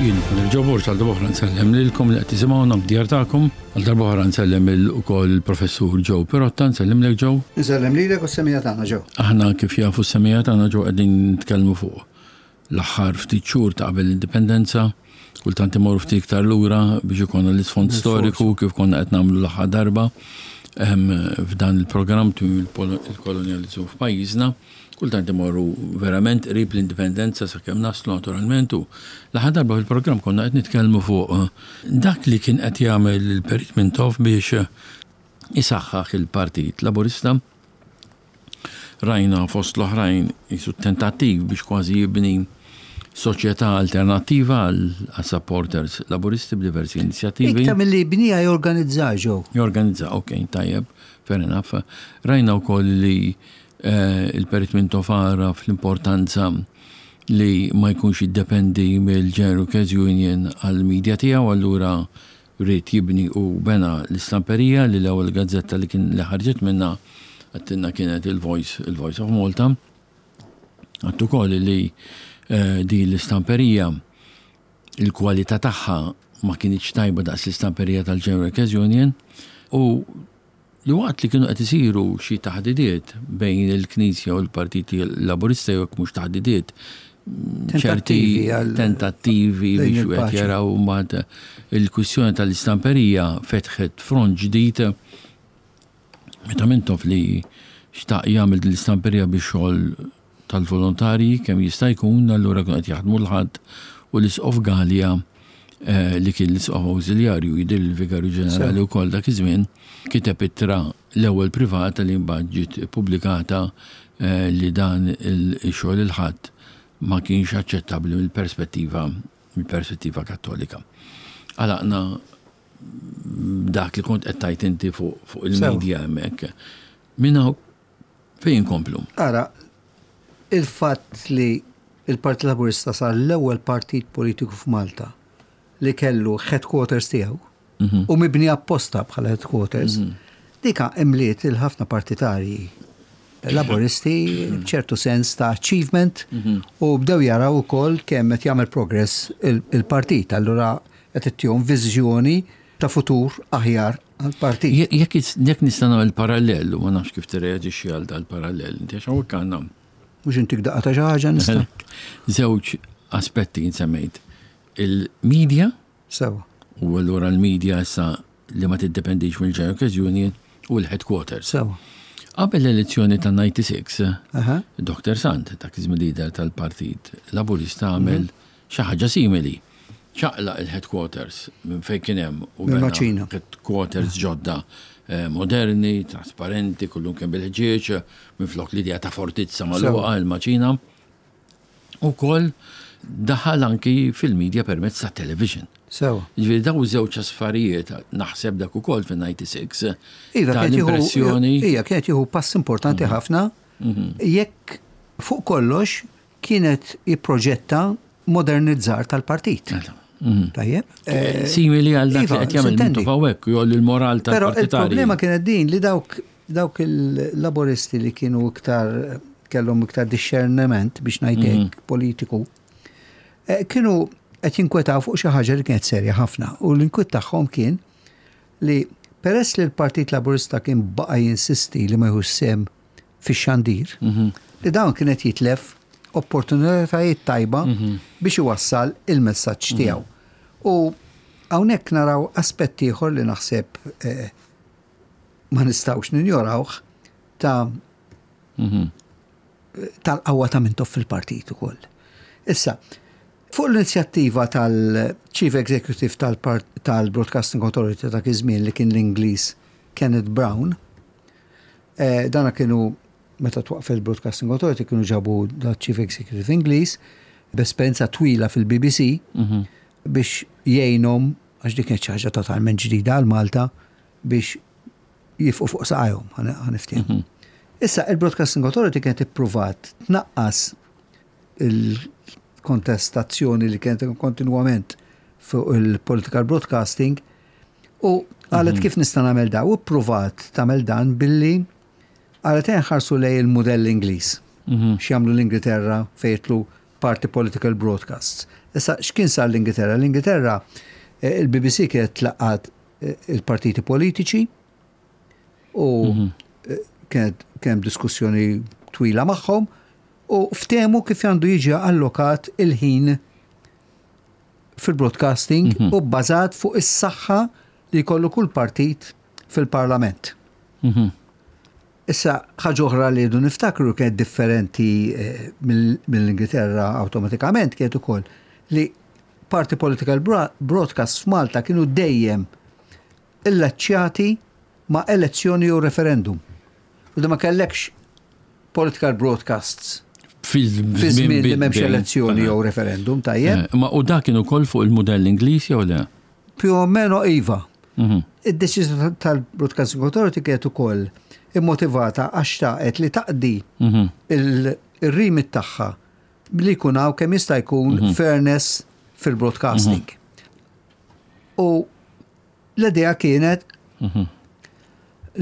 Jien Father Joe Borg għal darba oħra nsellem lilkom li qed tisimgħuna f'djar tagħkom. Għal darba oħra nsellem ukoll il-Professur Joe Pirotta, nsellimlek Joe. Nsellem lilek u s-semija tagħna Joe. Aħna kif jafu s-semija tagħna Joe qegħdin nitkellmu fuq l-aħħar ftit xhur ta' qabel l-indipendenza, kultant imorru ftit iktar lura biex ikollna l-isfond storiku kif konna qed nagħmlu l-aħħar darba f'dan il-programm tmiem il-kolonjaliżmu f'pajjiżna. Kultant imorru verament qrib l-indipendenza sakemm naslu naturalment u l-aħħar darba fil-programm konna qed nitkellmu fuq dak li kien qed jagħmel il-Perit Mintoff biex isaħħaħ il-Partit Laburista. Rajna fost l-oħrajn qisu tentattiv biex kważi jibni soċjetà alternattiva għal supporters Laburisti b'diversi inizjattivi. Iktar milli jibniha jorganizza, Joe. Jorganizza, ok, tajjeb, fair enough. Rajna wkoll li il-Perit Mintoff għaraf l-importanza li ma jkunx jiddependi mill-General Workers Union għall-media tiegħu, allura ried jibni u bena l-istamperija li l-ewwel gazzetta li kien li ħarġet minnha għattilna kienet il-Voice, il-Voice of Malta. Għadt ukoll li din l-istamperija il-kwalità tagħha ma kinitx tajba daqs l-istamperija tal-General Workers Union u li waqt li kienu qed isiru xi taħdidiet bejn il-Knisja u l-Partit Laburista jew jekk mhux taħdidiet, ċerti tentattivi biex wieħed jaraw mbagħad il-kwistjoni tal-istamperija fetħet front ġdid meta Mintoff li xtaq jagħmel din l-istamperija biex xogħol tal-volontarji kemm jista' jkun, allura kienu qed jaħdmu l-Ħadd u l-Isqof Galea li kien l-Isqof Awżiljarju, jidhirli l-Vigarju Ġenerali wkoll dak iż-żmien, kiteb ittra l-ewwel privata li mbagħad ġiet ippubblikata li dan ix-xogħol il-Ħadd ma kienx aċċettabbli mill-perspettiva mill-perspettiva Kattolika. Għalaqna dak li kont qed tgħid inti fuq il-media hemmhekk. Minn hawn Fejn inkomplu? Ara, il-fatt li l-Partit Laburista sar l-ewwel partit politiku f'Malta li kellu headquarters tiegħu mhm. u mibni apposta bħala headquarters, mhm. dika imliet il-ħafna partitarji laboristi mhm. b'ċertu sens ta' achievement u bdew jaraw ukoll kemm qed jagħmel progress il-partit. Allura qed ittihom viżjoni ta' futur aħjar għall-partit. Jekk jekk nista' nagħmel parallel, u ma nafx kif tirreaġixxi għal dal-parallel, inti għax hawnhekk għandna. Mhux intik daqqa ta' xi ħaġa nista'. Żewġ aspetti semmejt. Il-media. Sewa. U allura l-media issa li ma tiddependix mill-General Workers Union u l-headquarters. Sewa. Qabel l-elezzjoni ta' 96, Dr. Sant, dak iż-żmien leader tal-Partit Laburista għamel mhm. Xi ħaġa simili. Ċaqlaq il-headquarters minn fejn kien hemm u bena headquarters ġodda moderni, trasparenti, kullum kien bil-ħġieġ, minflok l-idea ta' fortizza magħluqa, il-maċina. Ukoll daħal anki fil-media permezz ta' television. Sewa. Ġifieri daw żewġ affarijiet naħseb dak ukoll fin-96. Iva, kienet l-impressjoni. Ija, kienet jieħu pass importanti mhm. ħafna mhm. jekk fuq kollox kienet jipproġetta modernizzar tal-partit. Mhm. Tajjeb. Eh, Simili għal dak li iva, qed jagħmel Mintoff hawnhekk jolli l-moral tal-partitarji. Però il-problema kienet din li dawk dawk il-laboristi li kienu iktar kellhom iktar discerniment biex ngħidlek mhm. politiku, eh, kienu qed jinkwetaw fuq xi ħaġa li kienet serja ħafna u l-inkwiet tagħhom kien li peress li l-Partit Laburista kien baqa' jinsisti li ma jħux sem fix-xandir, li dawn kien qed jitlef opportunitajiet tajba biex iwassal il-messaġġ tiegħu. U hawnhekk naraw aspett ieħor li naħseb eh, ma nistgħux ninjorawh ta' tal-qawwa ta' Mintoff fil-partit ukoll. Issa, fuq l-inizjattiva tal-Chief Executive tal-Broadcasting Authority ta' iż-żmien li kien l-Ingliż Kenneth Brown, Eh, dana kienu meta twaqfet il-Broadcasting Authority kienu ġabu da Chief Executive Ingliż b'esperjenza twila fil-BBC mhm. biex jgħinhom għax dik kienet xi ħaġa totalment ġdida għal Malta biex jifqu fuq saqajhom ħaniftehmu. Mhm. Issa il-Broadcasting Authority kienet ippruvat tnaqqas il-kontestazzjoni li kienet kontinwament fuq il-political broadcasting U qalet mhm. kif nista' nagħmel da u ppruvat tagħmel dan billi qalet nħarsu lej il-mudell Ingliż. Mhm. X'jagħmlu l-Ingilterra fejtlu party political broadcasts. Issa, x'kien sar l-Ingilterra? L-Ingilterra, il-BBC kienet tlaqqat il-partiti politiċi u kienet kien diskussjoni twila magħhom u ftehmu kif għandu jiġi allokat il-ħin fil-broadcasting u bbażat fuq is-saħħa li jkollu kull partit fil-parlament. Issa, ħaġa oħra li rridu niftakru kienet differenti mill-Ingilterra awtomatikament kienet ukoll li party political broadcast f'Malta kienu dejjem illaċċjati ma' elezzjoni jew referendum. U ma kellekx political broadcasts fi żmien li m'hemmx elezzjoni jew referendum, tajjeb. Ma u dak kien ukoll fuq il-mudell Ingliż jew le? Più o meno iva. Id-deċiżjoni tal-Broadcasting Authority kienet ukoll immotivata għax xtaqet li taqdi il-remit tagħha li jkun hawn kemm jista' jkun fairness fil-broadcasting. U l-idea kienet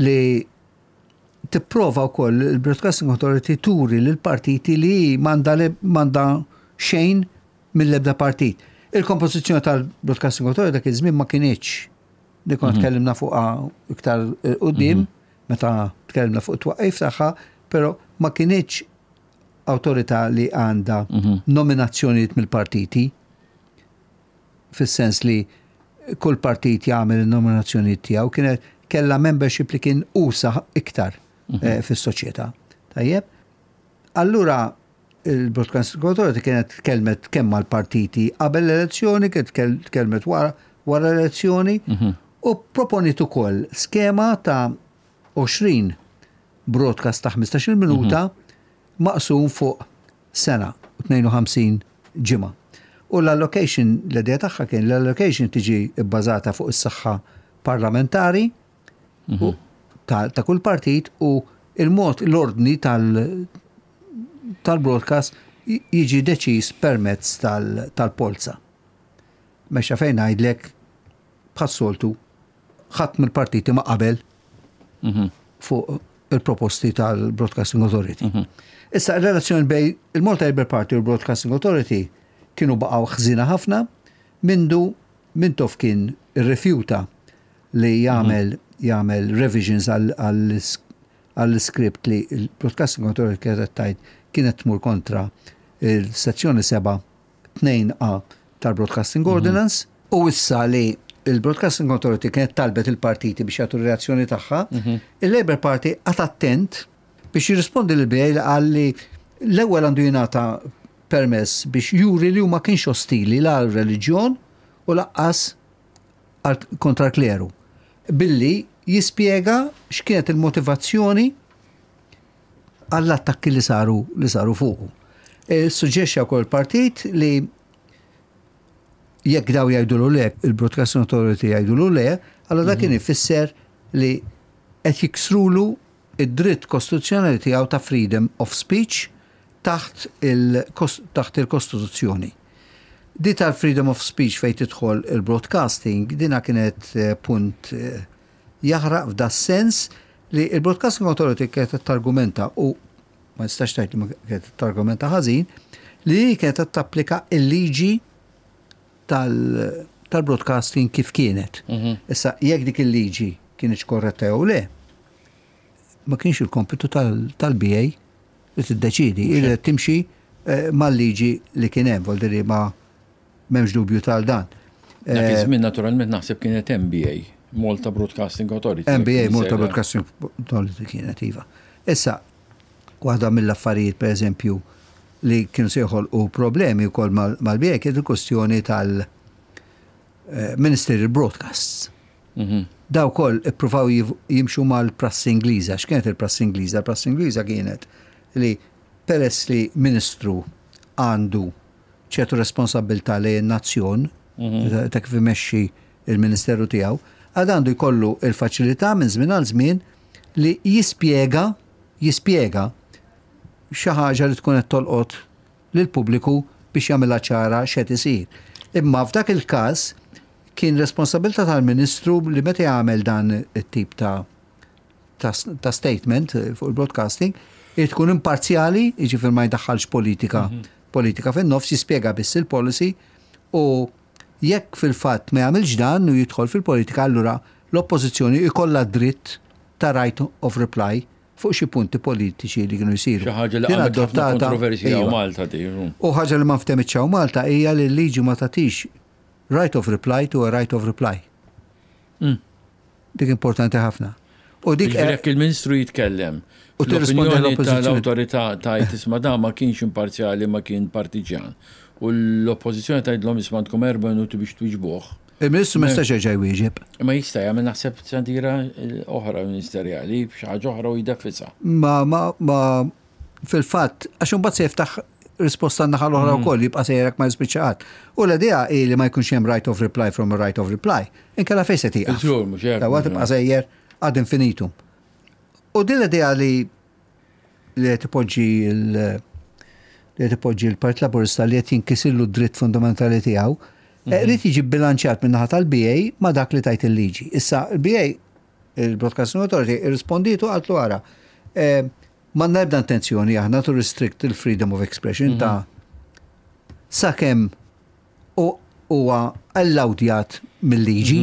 li tipprova wkoll il-Broadcasting Authority turi lil partiti li m'għandha xejn mill-ebda partit. Il-kompożizzjoni tal-Broadcasting Authority dak iż-żmien ma kinitx li konna tkellimna fuqha iktar quddiem meta tkellimna fuq it-twaqqif tagħha, però ma kinitx awtorità li għandha nominazzjonijiet mill-partiti fis-sens li kull partit jagħmel il-nominazzjonijiet tiegħu, kienet kellha membership li kien usa iktar fis-soċjetà. Tajjeb? Allura il-Broadcasting Authority kienet tkellmet kemm mal-partiti qabel l-elezzjoni, kienet tkellmet wara wara l-elezzjoni u proponiet ukoll skema ta' 20 broadcast ta' 15 minuta maqsum fuq sena u 52 ġimgħa. U l-allocation, l-idea tagħha kien l-allocation tiġi bbażata fuq is-saħħa parlamentari u ta' kull partit u il-mod l-ordni tal-broadcast jiġi deċiż permezz tal-polza. Mexa fejn ngħidlek bħas-soltu ħadd mill-partiti ma qabel fuq il-proposti tal-Broadcasting Authority. Issa, il-relazzjoni bejn il-Malta Labour Party u l-Broadcasting Authority kienu baqgħu ħżina ħafna mindu Mintoff kien irrifjuta li jagħmel revisions għall-script li l-Broadcasting Authority kienet tajt kienet tmur kontra il-sezzjoni 7 2A tal-Broadcasting Ordinance u issa li il-Broadcasting Authority kienet talbet il-partiti biex jagħtu reazzjoni tagħha, il-Labour Party qagħad attent biex jirrispondi l-BA li qal li l-ewwel għandu jingħata permess biex juri li huma kienx ostili la reliġjon u lanqas kontra l-kleru. Billi jispjega x'kienet il-motivazzjoni għall-attakki li saru fuqu. E, Suġġerixxa wkoll il-partit li jekk daw jgħidulu le, il-Broadcasting Authority jgħidulu le, allora dak kien ifisser li qed jiksrulu id-dritt kostituzzjonali tiegħu ta' freedom of speech taħt il-Kostituzzjoni. Di tal-freedom of speech fejn tidħol il-broadcasting, dina kienet punt jaħraq f'da sens li il-Broadcasting Authority kienet targumenta u ma nistax tgħid li ma kienet targumenta ħażin li kienet tapplika il-liġi tal-broadcasting kif kienet. Issa, jekk dik il-liġi kienet korretta jew le, ma kienx il-kompitu tal-BA li tiddeċidi, il timxi mal-liġi li kien hemm, vuol ma m'hemmx dubju tal dan. Dak iż-żmien naturalment naħseb kienet MBA, Malta Broadcasting Authority. MBA, Malta Broadcasting Authority kienet, iva. Issa, waħda mill-affarijiet, per eżempju, li kienu se joħolqu problemi wkoll mal-BA kienet il-kwestjoni tal-Ministerial Broadcasts. Daw koll ippruvaw jimxu mal-prassi Ingliża. X'kienet il-prassi Ingliża? Il-prassi Ingliża kienet li peress li ministru għandu ċertu responsabilità lejn nazzjon ta' kif imexxi il-ministeru tiegħu, għad għandu jkollu il-faċilità minn żmien għal żmien li jispjega xi ħaġa li tkun qed tolqot lill-pubbliku biex jagħmilha ċara x'qed isir. Imma f'dak il-każ kien responsabilità tal-Ministru li meta jagħmel dan it-tip ta' statement fuq il-broadcasting, irid tkun imparzjali, jiġifieri ma jdaħħalx politika fin-nofs, jispjega biss il-policy. U jekk fil-fatt ma jagħmilx dan u jidħol fil-politika allura l-Oppożizzjoni jkollha dritt ta' right of reply fuq xi punti politiċi li kienu jsiru. Xi ħaġa li għamlet ħafna kontroversja hawn Malta din. U ħaġa li ma nftemitx hawn Malta hija li l-liġi ma tagħtix right of reply to a right of reply. Dik importanti ħafna. U dik jekk il-Ministru jitkellem u tirrispondi tal-awtorità tgħid isma' dan ma kienx imparzjali ma kien partiġjan. U l-oppożizzjoni tgħidlhom isma' għandkom erba' minuti biex twiġbuh. Il-Ministru ma jistax jerġa' jwieġeb. Ma jista' jagħmel naħseb xandira oħra ministerjali b'xi ħaġa oħra u jdeffisha. Ma ma ma fil-fatt għax imbagħad se jiftaħ risposta n-naħa l-oħra mm. wkoll jibqa' sejrek ma jispiċċa qatt. U l-idea hi li ma jkunx hemm right of reply from a right of reply. Inkella fejn se tieqaf. Żgur mhux hekk. Dawa tibqa' sejjer ad infinitum. U din l-idea li li qed ipoġġi li qed ipoġġi l-Partit Laburista li qed jinkisillu d-dritt fundamentali tiegħu, eh, mhm. rrid jiġi bilanċjat minn naħa tal-BA ma' dak li tajt il-liġi. Issa, il-BA, il-Broadcasting Authority, irrisponditu għatlu għara. Eh, M'għandna ebda intenzjoni aħna to restrict il-freedom of expression ta' sakemm huwa allowdjat mill-liġi.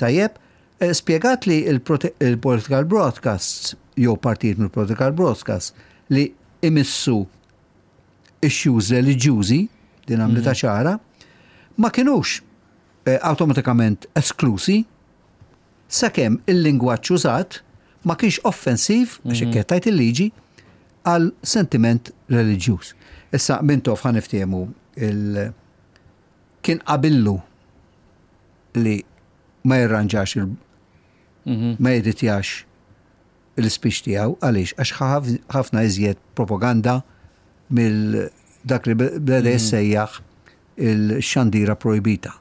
Tajjeb, eh, spjegat li il-political broadcasts jew partijiet mill-political broadcasts li imissu issues reliġjużi, din għamlitha ċara, ma kinux eh, awtomatikament esklusi sakemm il-lingwaġġ użat ma kienx offensiv, għax hekk qed tgħid il-liġi, għal sentiment reliġjuż. Issa Mintoff ħa niftehmu il kien qabillu li ma jirranġax il ma jeditjax l-ispeech tiegħu għaliex għax ħafna iżjed propaganda mill dak li beda jissejjaħ il-xandira projbita.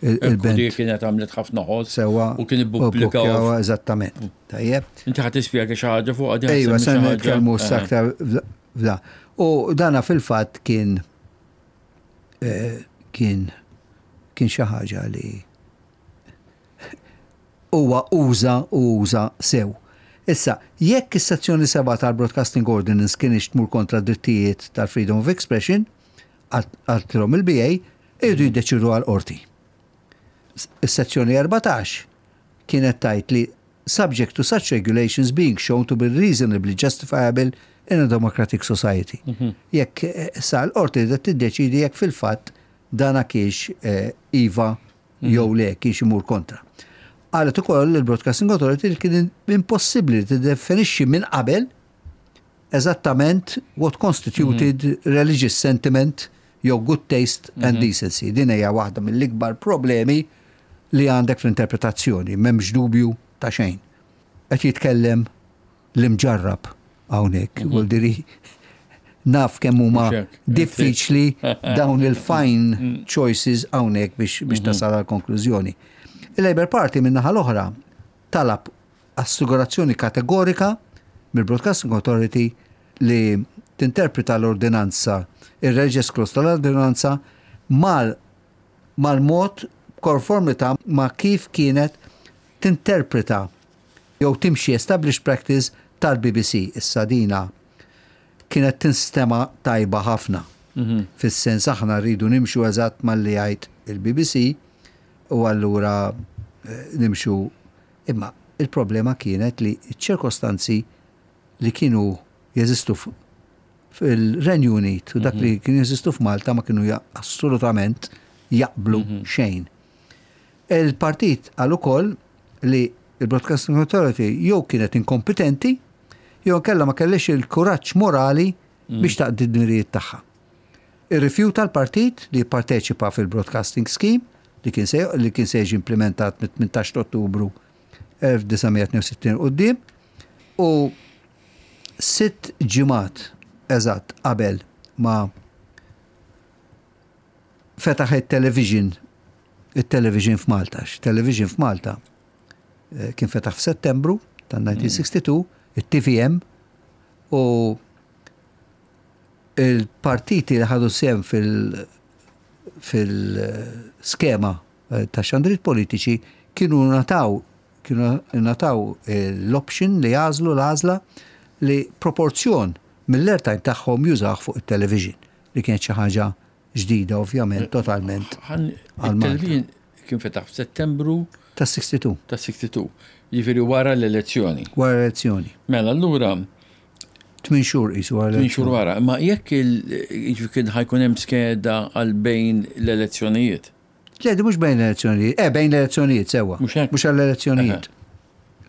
Il-band. Dik kienet għamlet ħafna ħoss. Sewa. U kien ippubblikaw. Eżattament. Tajjeb. Inti ħadd tispjega xi ħaġa fuq għadi. Ejwa, se nitkellmu aktar f'da. U dana fil-fatt kien eh, kien kien xi ħaġa li huwa uża u uża sew. Issa, jekk is-sezzjoni 7 tal-Broadcasting Ordinance kienx tmur kontra drittijiet tal-freedom of expression, qaltilhom il-BA, iridu jiddeċiedu għall-qorti. Is-sezzjoni 14 kienet tgħid li subject to such regulations being shown to be reasonably justifiable in a democratic society. Mhm. Jekk eh, sa l-qorti ridet tiddeċidi jekk fil-fatt dana kiex eh, iva mhm. jew le kiex imur kontra. Qalet ukoll il-Broadcasting Authority li kien impossibbli li tiddefinixxi minn qabel eżattament what constituted mm -hmm. religious sentiment jew good taste and mm -hmm. decency. Din hija waħda mill-ikbar problemi li għandek fl-interpretazzjoni, m'hemmx dubju ta' xejn. Qed jitkellem l-imġarrab hawnhekk, mm -hmm. diri naf kemm huma diffiċli dawn il-fine mm. choices hawnhekk biex, biex mhm. tasal għal konklużjoni. Il-Labour Party min-naħa l-oħra talab assigurazzjoni kategorika mill-Broadcasting Authority li tinterpreta l-ordinanza, ir-religious clause tal-ordinanza mal mal-mod b'konformità ma' kif kienet tinterpreta jew timxi established practice tal-BBC. Issa dina kienet tinstema' tajba ħafna. Fis-sens aħna rridu nimxu eżatt malli jgħid il-BBC u allura nimxu Imma il-problema kienet li ċ-ċirkostanzi li kienu jeżistu fil-Renju Unit u dak li mhm. kienu jeżistu f'Malta ma kienu assolutament jaqblu mhm. xejn. Il-partit għal ukoll li il-Broadcasting Authority jew kienet inkompetenti jew kella ma kellix il-kuraġġ morali mhm. biex taqdi d-dmirijiet tagħha. Irrifjuta l-partit li jipparteċipa fil-Broadcasting Scheme li kien se li kien se jiġi implimentat mit-18 ta' Ottubru 1962 'l quddiem u sitt ġimgħat eżatt qabel ma fetaħ it-television it-television f'Malta. Television f'Malta eh, kien fetaħ f'Settembru tan-1962, it-TVM u Il-partiti li ħadu sehem fil-skema eh, ta' xandriet politiċi kienu nataw kienu nataw l-option li jagħżlu l-għażla li proporzjon mill-airtime tagħhom jużah fuq it-television li kienet xi ħaġa. ġdida ovvjament totalment. Il-television kien fetaħ f'Settembru ta' 62. Ta' 62. Jiġifieri wara l-elezzjoni. Wara l-elezzjoni. Mela allura 8 xhur qisu wara. 8 xhur wara. Ma jekk il kien ħajkun hemm skeda għal bejn l-elezzjonijiet. Le, mhux bejn l-elezzjonijiet. Eh, bejn l-elezzjonijiet sewwa. Mhux għall-elezzjonijiet.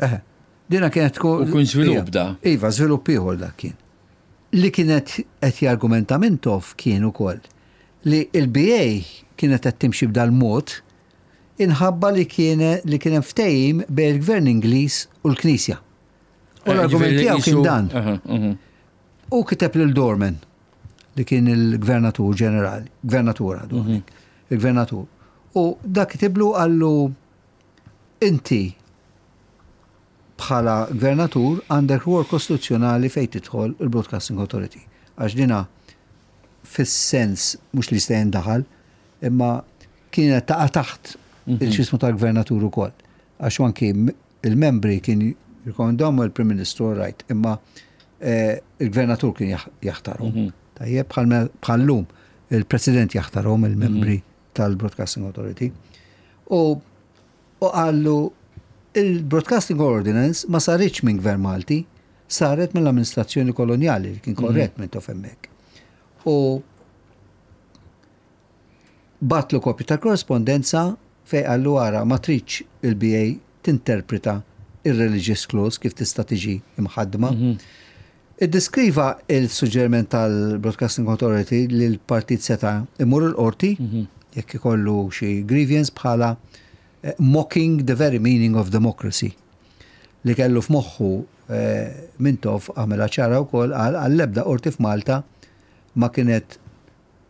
Eħe. Dina kienet tkun. U kien żvilupp da. Iva, żvilupp ieħor dak kien. Li kienet qed jargumenta Mintoff kien ukoll li l-BA kienet qed timxi b'dal-mod inħabba li kien li kien hemm ftehim bejn il-Gvern Ingliż u l-Knisja. U eh, l-argument tiegħu kien dan. U kiteb lil Dorman li kien il-gvernatur ġenerali, gvernatur għadu, mhm. il-gvernatur. U dak kitiblu għallu inti bħala gvernatur għandek rwol kostituzzjonali fejn tidħol il-Broadcasting Authority. Għax dina fis-sens mhux li jista' jindaħal, imma kienet taqa' taħt mhm. il-ġismu tal-gvernatur ukoll. Għax anki il-membri kien jirkomendahom il-Prim Ministru right, imma eh, il-gvernatur kien jaħtarhom. Mhm. Tajjeb bħal-lum il-President jaħtarhom il-membri mhm. tal-Broadcasting Authority. U u qallu il-Broadcasting Ordinance ma saritx minn Gvern Malti, saret mill-amministrazzjoni kolonjali li kien mhm. korrett minn tof hemmhekk. U bagħatlu kopju tal-korrespondenza fejn qallu ara ma tridx il-BA tinterpreta ir-religious clause kif tista' tiġi imħaddma. Mhm. Iddeskriva il-suġġeriment tal-Broadcasting Authority li l-partit seta' imur il-qorti mhm. jekk ikollu xi grievance bħala eh, mocking the very meaning of democracy li kellu f'moħħu eh, Mintoff għamela ċara wkoll għal għall-ebda qorti f'Malta ma kienet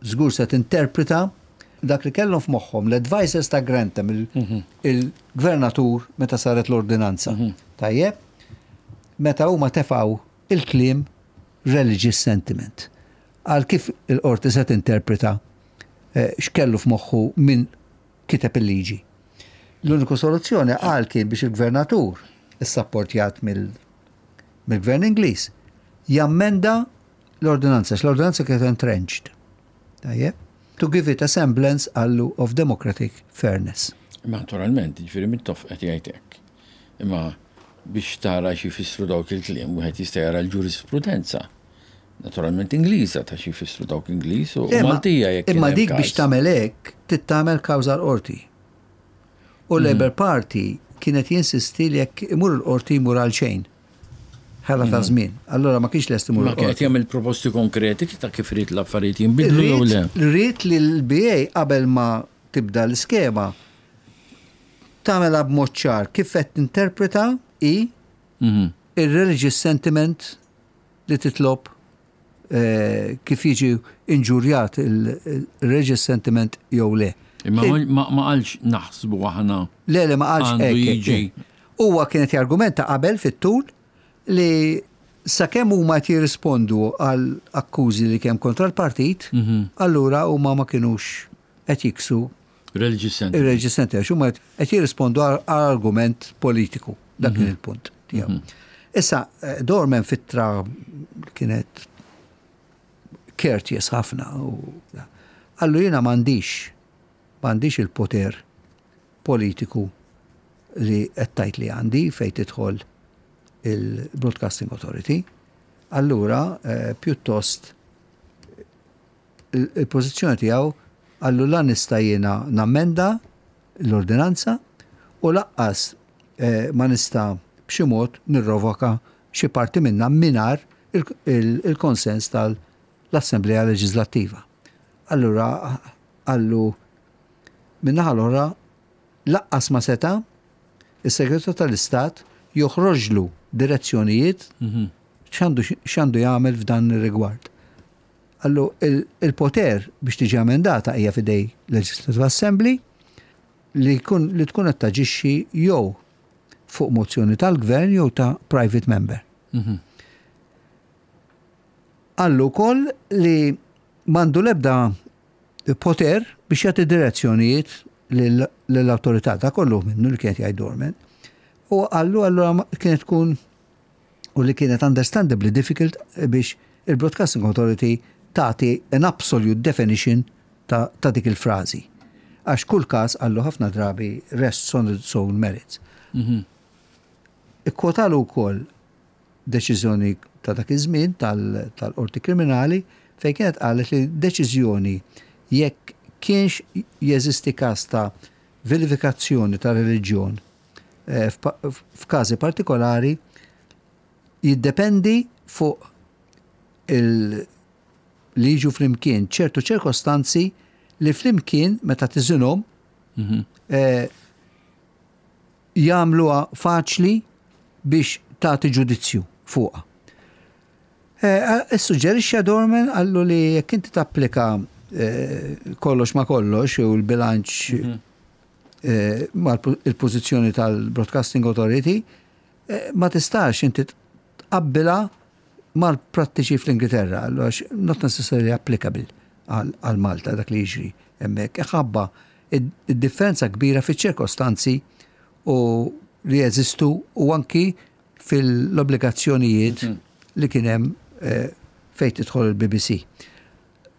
żgur se tinterpreta dak li kellhom f'moħħhom l-advisors ta' Grantham, il-gvernatur meta saret l-ordinanza. Mhm. Tajjeb? Meta huma tefgħu il-kliem religious sentiment. Għal kif il-qorti se tinterpreta eh, x'kellu f'moħħu min kiteb il-liġi. L-uniku soluzzjoni qal kien biex il-gvernatur, issapportjat mill-gvern Ingliż, jammenda l-ordinanza, għax l-ordinanza kienet entrenched. Tajjeb? To give it a semblance qallu of democratic fairness. Imma naturalment, jiġifieri Mintoff qed jgħid hekk. Imma biex tara xi jfissru dawk il-kliem, wieħed jista' jara l-ġurisprudenza. Naturalment Ingliża ta' xi jfissru dawk Ingliż u Maltija jekk. Imma dik biex tagħmel hekk trid tagħmel kawża l-qorti. U l-Labour Party kienet jinsisti li jekk imur il-qorti jmur għal xejn. Ħela ta' żmien. Allura ma kienx lest imur. Ma kien qed jagħmel proposti konkreti ta' kif irid l-affarijiet jinbidlu jew le. Ried li l-BA qabel ma tibda l-iskema tagħmilha b'mod ċar kif qed tinterpreta hi mhm. ir-religious sentiment li titlob eh, kif jiġi inġurjat il-religious sentiment jew le. Imma ma qalx naħsbu aħna. Le, le ma qalx hekk. Huwa kienet jargumenta qabel fit-tul li sakemm huma qed jirrispondu għal akkużi li kemm kontra l-partit, mhm. allura huma ma kinux qed jiksu Religious sentiment. Il-religious sentiment, għax huma qed jirrispondu għal argument politiku. Dak kien mhm. il-punt tiegħu. Mhm. Issa, eh, Dorman fittra kienet courteous ħafna u għallu jiena m'għandix m'għandix il-poter politiku li qed tgħid li għandi fejn tidħol il-Broadcasting Authority. Allura, eh, pjuttost il-pożizzjoni tiegħu qallu la nista' jiena nammenda l-ordinanza u laqqas eh, ma nista' b'xi mod nirrovoka xi parti minnha mingħajr il-konsens tal-Assemblea Leġislattiva. Allura qallu min-naħa l-oħra laqqas ma seta' is-Segretarju tal-Istat joħroġlu direzzjonijiet mhm. x'għandu jagħmel f'dan ir-rigward. Qallu il-poter biex tiġi amendata hija f'idej Legislative Assembly li jkun li tkun qed taġixxi jew fuq mozzjoni tal-gvern jew ta' private member. Mhm. Qallu wkoll li m'għandu l-ebda poter biex jagħti direzzjonijiet lill-awtorità ta' kollu minnu li kienet jgħid Dorman. U qallu allura kienet tkun u li kienet understandably difficult biex il-Broadcasting Authority tagħti an absolute definition. ta', ta dik il-frażi. Għax kull każ qallu ħafna drabi rests on its own merits. Ikkwotalu wkoll deċiżjoni ta' dak iż-żmien tal-Qorti Kriminali fejn kienet qalet li deċiżjoni jekk kienx jeżisti każ ta' vilifikazzjoni ta' reliġjon eh, f'każi partikolari jiddependi fuq il li jiġu flimkien ċertu ċirkostanzi li flimkien meta tiżinhom mhm. eh, jagħmluha faċli biex tagħti ġudizzju fuqha. Eh, Issuġġerixxa Dorman qallu li jekk inti tapplika eh, kollox ma kollox u l-bilanċ mhm. eh, mal il-pożizzjoni tal-Broadcasting Authority, ma tistax inti tqabbilha mal-prattiċi fl-Ingilterra, għax not necessarily applicable għal Malta dak li jiġri hemmhekk. Ħabba id-differenza kbira fiċ-ċirkostanzi u li jeżistu u anki fil-obbligazzjonijiet mhm. li kien hemm eh, fejn tidħol il-BBC.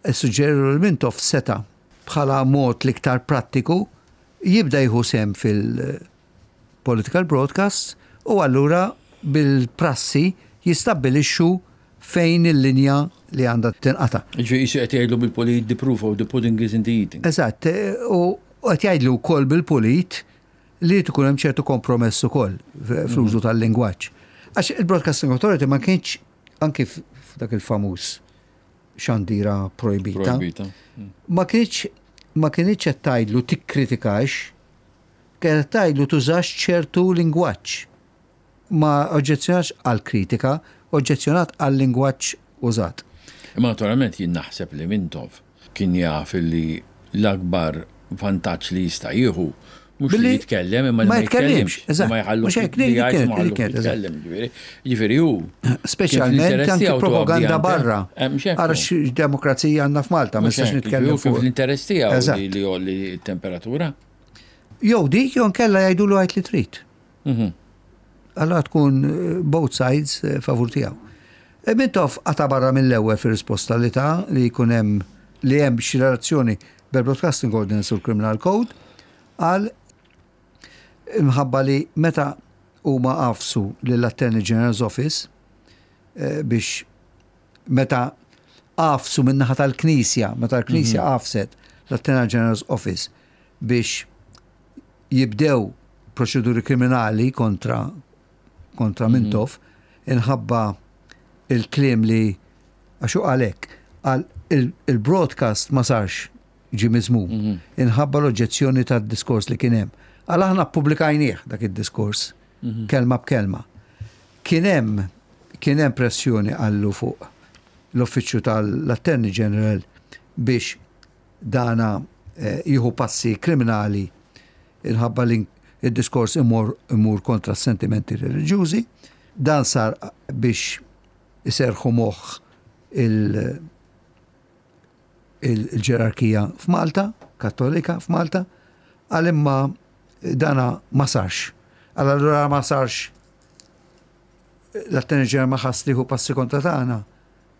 Suġġeru l Mintoff seta bħala mod l-iktar prattiku jibda jieħu sem fil-political broadcasts u allura bil-prassi jistabbilixxu fejn il-linja li għandha tinqata'. Ġifieri qisu qed jgħidlu bil-pulit the proof of the pudding is in the eating. Eżatt, u qed jgħidlu wkoll bil-pulit li jrid ikun hemm ċertu kompromess ukoll fl-użu mhm. tal-lingwaġġ. Għax il-Broadcasting Authority ma kienx anki f'dak il-famuż xandira projbita. Mm. Ma kienx ma kienx qed tgħidlu tikkritikax, kienet tgħidlu tużax ċertu lingwaġġ. Ma oġġezzjonax għall-kritika, oġġezzjonat għal-lingwaġġ użat. Imma naturalment jien naħseb li Mintoff kien jaf li l-akbar vantaġġ li jista' jieħu mhux li jitkellem imma li ma jitkellimx. Ma jħallux li jgħid ma jħallux jitkellem. Ġifieri hu. Speċjalment anki propaganda barra. Ara x'demokrazija għandna f'Malta, ma nistax nitkellem fuq. L-interess tiegħu li jgħolli t-temperatura. Jew dik jew nkella jgħidulu għid li trid. Mhm. Allora tkun eh, both sides eh, favur tiegħu. E Mintoff qata barra mill-ewwel fir-risposta li ta' li jkun hemm li hemm xi relazzjoni bil-Broadcasting Ordinance u l-Criminal Code għal imħabba li meta huma għafsu lill-Attorney General's Office eh, biex meta għafsu min-naħa tal-Knisja, meta l-Knisja mhm. għafset l-Attorney General's Office biex jibdew proċeduri kriminali kontra kontra mhm. Mintoff inħabba il-kliem li għax hu qal hekk, qal il-broadcast ma sarx ġie miżmum mhm. inħabba l-oġġezzjoni tad-diskors li kien hemm. Għal aħna ppubblikajnieh dak id-diskors mhm. kelma b'kelma. Kien hemm kien hemm pressjoni qallu fuq l-uffiċċju tal-Attorney General biex dana jieħu passi kriminali inħabba li id-diskors imur, imur kontra s-sentimenti reliġjużi. Dan sar biex iserħu moħħ il-ġerarkija f'Malta, kattolika f'Malta, għal imma dana ma sarx. Għal allura ma sarx l-Attorney General ma ħass li hu passi kontra tagħna.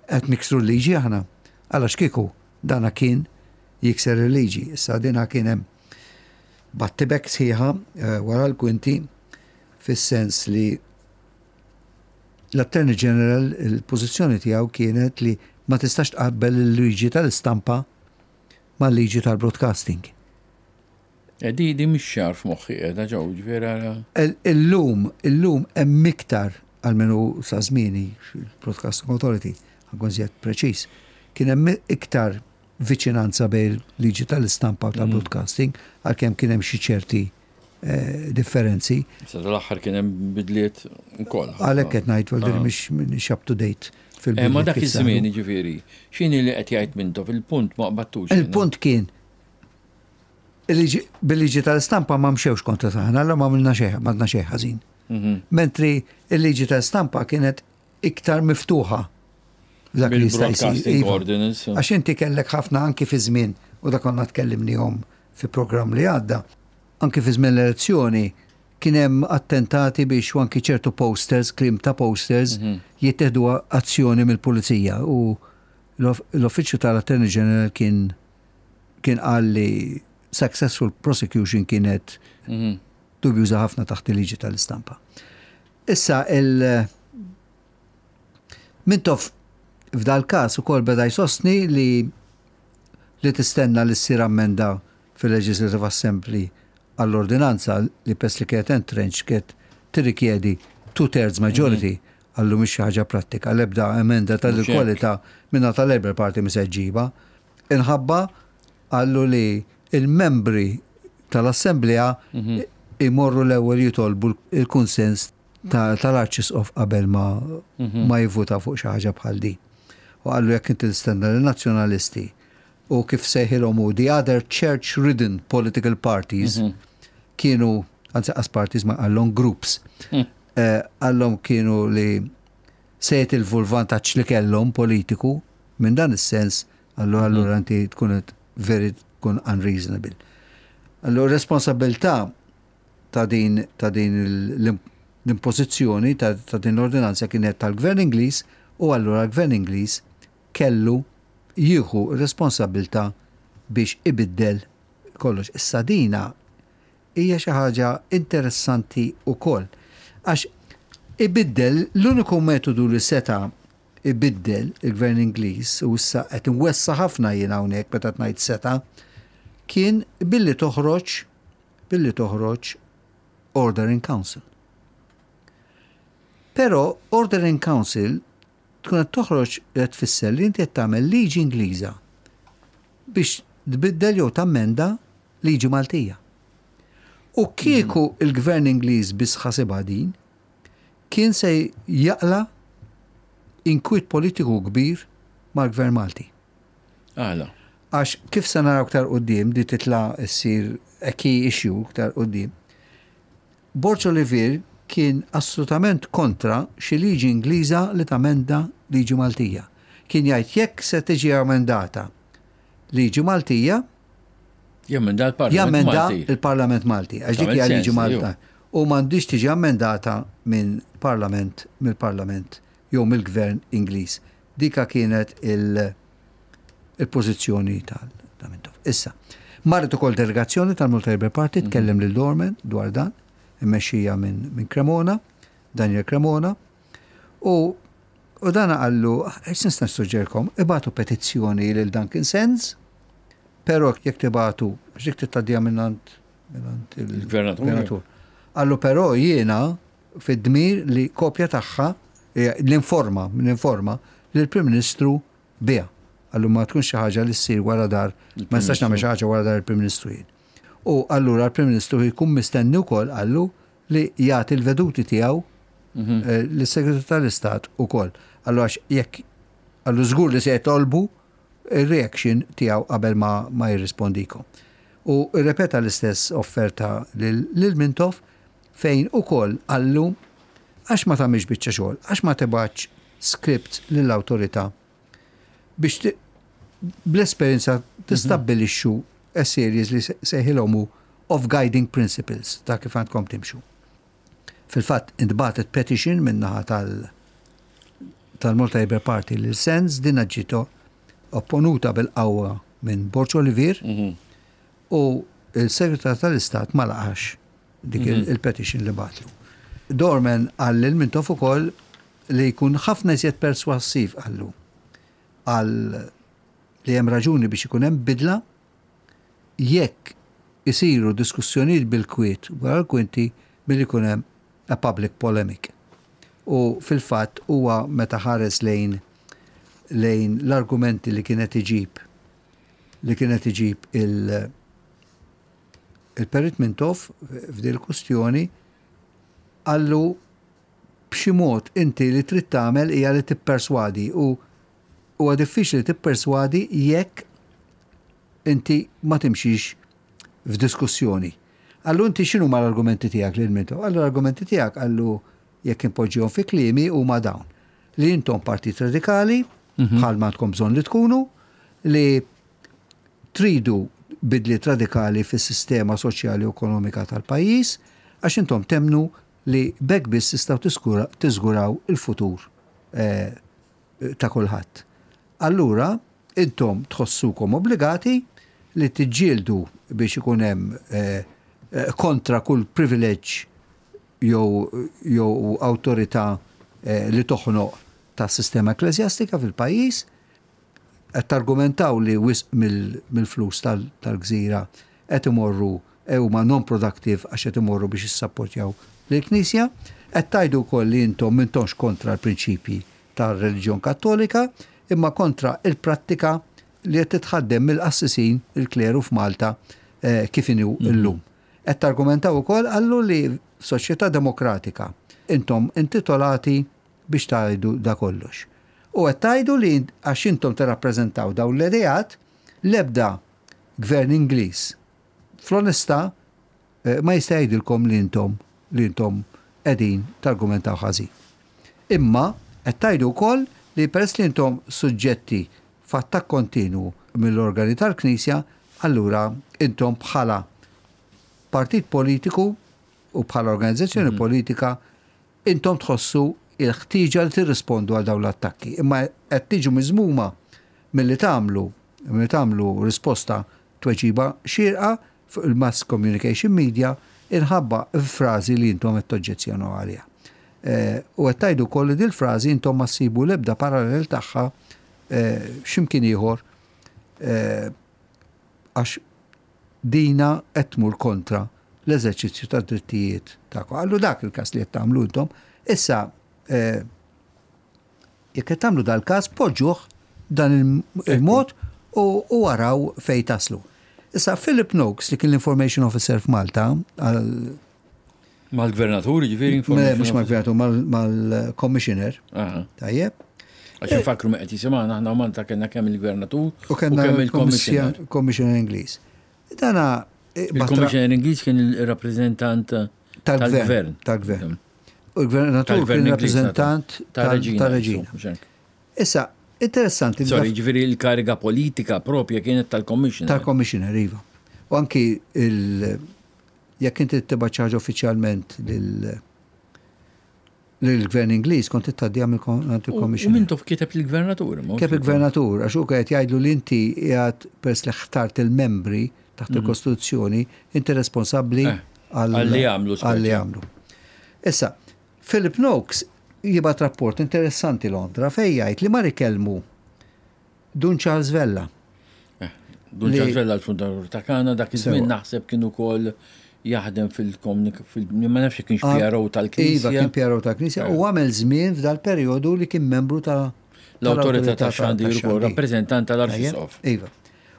Qed niksru l-liġi aħna? Għalax kieku dana kien jikser il-liġi. Issa dina kien hemm battibek sħiħa eh, wara l-kwinti fis-sens li l-Attorney General il-pożizzjoni tiegħu kienet li ma tistax tqabbel il-liġi tal-istampa mal-liġi tal-broadcasting. Eh, di di mhix ċar f'moħħi qiegħda ġew, ġifieri ara. Illum, illum hemm iktar almenu sa żmieni il-Broadcasting Authority, ħankun żjed preċiż, kien hemm iktar viċinanza bejn liġi tal-istampa u tal-broadcasting, għalkemm kien hemm xi ċerti eh, differenzi. Sa tal-aħħar kien hemm bidliet ukoll. Għalhekk qed ngħid well, din mhix mhix up to date fil eh, Ma dak iż-żmien jiġifieri, x'inhi li qed jgħid Mintoff il-punt ma qbattux. Il-punt kien Bil-liġi tal-istampa ma mxewx kontra tagħna, allura ma għamilna xejn, ma għadna xejn ħażin. Mhm. Mentri il-liġi tal-istampa kienet iktar miftuħa. Dak li jista' jsir. Iva. Għax inti kellek ħafna anki fi żmien u dak konna tkellimnihom fi programm li għadda, anki fi żmien l-elezzjoni kien hemm attentati biex u anki ċertu posters, kliem ta' posters, mhm. jittieħdu azzjoni mill-pulizija u l-Uffiċċju tal-Attorney General kien kien qal li successful prosecution kienet dubjuża ħafna taħt il-liġi tal-istampa. Issa il Mintoff f'dal każ ukoll beda jsostni li li tistenna li ssir ammenda fil-Legislative Assembly għall-ordinanza li pers li kienet entrenched kienet tirrikjedi two-thirds majority għallu mhix xi ħaġa prattika l-ebda emenda tal-kwalità minna tal-Labour Party mhi se ġġibha. Inħabba qallu li il-membri tal-Assemblea imorru l-ewwel jitolbu l-kunsens tal-Arċisqof qabel ma ma jivvuta fuq xi ħaġa bħal din. U qallu jekk inti tistenna li nazzjonalisti u kif sejħilhom hu the other church-ridden political parties kienu, anzi qas parties ma qallhom groups, qallhom kienu li se jitilfu l-vantaġġ li kellhom politiku minn dan is-sens, allura allura inti tkun qed very tkun unreasonable. Allura responsabilità ta' din ta' din l-impożizzjoni ta' ta' din l-ordinanza kienet tal-Gvern Ingliż u allura l-Gvern Ingliż kellu jieħu r-responsabbiltà biex ibiddel kollox. Issa dina hija xi ħaġa interessanti wkoll għax ibiddel l-uniku metodu li seta' ibiddel il-Gvern Ingliż, u issa qed inwessa' ħafna jien hawnhekk meta qed ngħid seta', kien billi toħroġ billi toħroġ Order in Council. Però Order in Council tkun qed toħroġ qed tfisser li inti qed tagħmel liġi Ingliża biex tbiddel jew tammenda liġi Maltija. U kieku il-Gvern Ingliż biss ħasibha din, kien se jaqla' inkwiet politiku kbir mal-Gvern Malti. Għala? Għax kif se naraw iktar quddiem, di titla' ssir a key issue iktar quddiem, Borg Olivier kien assolutament kontra xi liġi Ingliża li tamenda liġi Maltija. Kien jgħid jekk se tiġi amendata liġi Maltija, Jammenda l-Parlament jammenda Malti. il-Parlament Malti. Għax dik Tagħmel hija liġi sens, Malta. U m'għandix tiġi ammendata minn Parlament mill-Parlament jew mill-Gvern Ingliż. Dika kienet il- il-pożizzjoni tal ta' Mintoff. Issa, marret ukoll delegazzjoni tal-Malta Labour Party tkellem lil Dorman dwar dan, immexxija minn min Cremona, Daniel Cremona, u u dan qallu, nista' nissuġġerkom, ibagħtu petizzjoni lil Duncan Sands, però jekk tibagħtu, għax dik tgħaddiha minnant minnant Il-gvernatur. il-gvernatur. Qallu però jiena fid-dmir li kopja tagħha l-informa, l-informa lill-Prim Ministru biha. Qallu ma tkunx xi ħaġa li ssir wara dar, ma nistax nagħmel xi ħaġa wara dar il-Prim Ministru jien. U allura l-Prim Ministru jkun mistenni wkoll qallu li jagħti l-veduti tiegħu lis-Segretarju tal-Istat ukoll. Allura għax jekk qallu żgur li se jitolbu il-reaction tiegħu qabel ma, ma jirrispondikom. U rrepeta l-istess offerta lil lil Mintoff fejn ukoll qallu għax ma tagħmilx biċċa xogħol, għax ma tibgħatx script lill-awtorità biex bl-esperjenza tistabbilixxu a series li sejħilhom hu of guiding principles ta' kif għandkom timxu. Fil-fatt intbagħtet petition min-naħa tal tal-Malta Labour Party lil Sands din ġiet opponuta bil-qawwa minn Borg Olivier u il-Segretar tal-Istat ma laqax dik il-petition li bagħatlu. Dorman qal lil Mintoff ukoll li jkun ħafna iżjed perswassiv qallu għal li hemm raġuni biex ikun hemm bidla jekk isiru diskussjonijiet bil-kwiet wara l-kwinti billi jkun hemm a public polemic. U fil-fatt huwa meta ħares lejn lejn l-argumenti li kienet iġib li kienet iġib il il-Perit Mintoff f'din il-kustjoni qallu b'xi mod inti li trid tagħmel hija li tipperswadi u huwa diffiċli tipperswadi jekk inti ma timxix f'diskussjoni. Qallu inti x'inhu ma l-argumenti tiegħek lil Mintoff? Qallu l-argumenti tiegħek qallu jekk impoġġihom fi kliemi huma dawn. Li intom partit radikali, bħal ma għandkom bżonn li tkunu, li tridu bidliet radikali fis-sistema soċjali u ekonomika tal-pajjiż, għax intom temnu li b'hekk biss tistgħu tiżguraw il-futur ta' kulħadd. Allura intom tħossukom obbligati li tiġġieldu biex ikun hemm kontra kull privileġġ jew jew awtorità li toħnoq tas-sistema ekkleżjastika fil-pajjiż. Qed targumentaw li wisq mill-flus tal-gżira qed imorru huma non-productive għax qed imorru biex jissapportjaw lill-Knisja. Qed tgħidu wkoll li intom m'intomx kontra l-prinċipji tar-reliġjon Kattolika imma kontra l-prattika li qed titħaddem mill-qassisin, il-kleru f'Malta kif inhu llum. Qed targumentaw ukoll qallu li f'soċjetà demokratika intom intitolati biex tgħidu da kollox. U qed tgħidu li għax intom tirrappreżentaw dawn l-ideat, l-ebda gvern Ingliż fl-onestà ma jista' jgħidilkom li intom li intom qegħdin targumentaw ħażin. Imma qed tgħidu wkoll li peress li intom suġġetti f'attakk kontinwu mill-organi tal-Knisja, allura intom bħala partit politiku u bħala organizzazzjoni politika intom tħossu l-ħtieġa li tirrispondu għal dawn l-attakki, imma qed tiġu miżmuma milli tagħmlu milli tagħmlu risposta tweġiba xierqa fuq il-mass communication media inħabba frażi li intom qed toġġezzjonaw għaliha. U qed tgħidu wkoll li dil-frażi intom ma ssibu l-ebda parallel tagħha x'imkien ieħor għax dina qed tmur kontra l-eżerċizzju tad-drittijiet tagħkom. Qallu dak il-każ li qed tagħmlu intom. Issa eh, jekk qed tagħmlu dal-każ poġġuh dan il-mod u waraw fejn taslu. Issa Philip Noakes li kien l-Information Officer f'Malta Mal-gvernatur, ġifieri? Mhux mal-gvernatur, mal-commissioner. Tajjeb. Għax infakru me qed jisimgħana aħna Malta kellna kemm il-gvernatur u kemm il-commissioner. Commissioner Ingliż. Dana eh, Il-commissioner Ingliż kien il-rappreżentant tal-gvern. Tal-gvern. U l-gvernatur kien rappreżentant tal-reġina. Issa, interessanti. Sorry, ġifieri l-kariga politika propja kienet tal-commissioner. Tal-commissioner, iva. U anki il- Jekk inti tibgħat xi ħaġa uffiċjalment lill-Gvern Ingliż kont tgħaddiha mingħand il-Commissioner. U Mintoff kiteb lill-Gvernatur. Kiteb il-Gvernatur għax hu qed jgħidlu li inti qiegħed peress li ħtart il-membri taħt mhm. il-Kostituzzjoni, inti responsabbli eh, għal li għamlu. Għal li għamlu. Issa, Philip Noakes jibgħat rapport interessanti Londra fejn jgħid li mar ikellmu Dun Charles Vella. Eh, Dun Charles Vella l-fundatur ta' Kana dak iż-żmien naħseb kien ukoll jaħdem fil-komunik ma nafx kienx ah, PRO tal-Knisja. Iva, kien PRO tal-Knisja u eh. għamel żmien f'dal-perjodu li kien membru ta' l-Awtorità ta' Xandir ukoll rappreżentant tal-Arċisqof. Iva.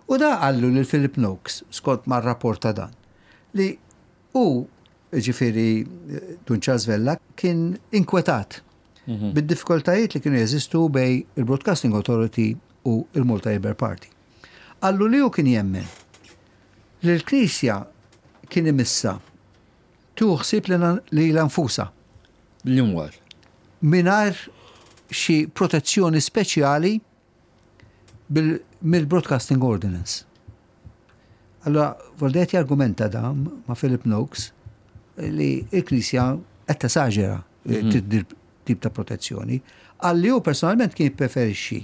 U da qallu lil Philip Noakes, skont ma' rapport ta' dan, li u ġifiri Dun Charles Vella kien inkwetat bid-diffikultajiet li kienu jeżistu bejn il-Broadcasting Authority u il-Malta Labour Party. Qallu li hu kien jemmen li l-Knisja kien imissa tieħu ħsieb lilha nfusha. L-imwar. Mingħajr xi protezzjoni speċjali mill-Broadcasting Ordinance. Allora, Voldetti argumenta da ma' Philip Noakes li il-Knisja qed tesaġera mhm. tip ta' protezzjoni. Għalli hu personalment kien jippreferixxi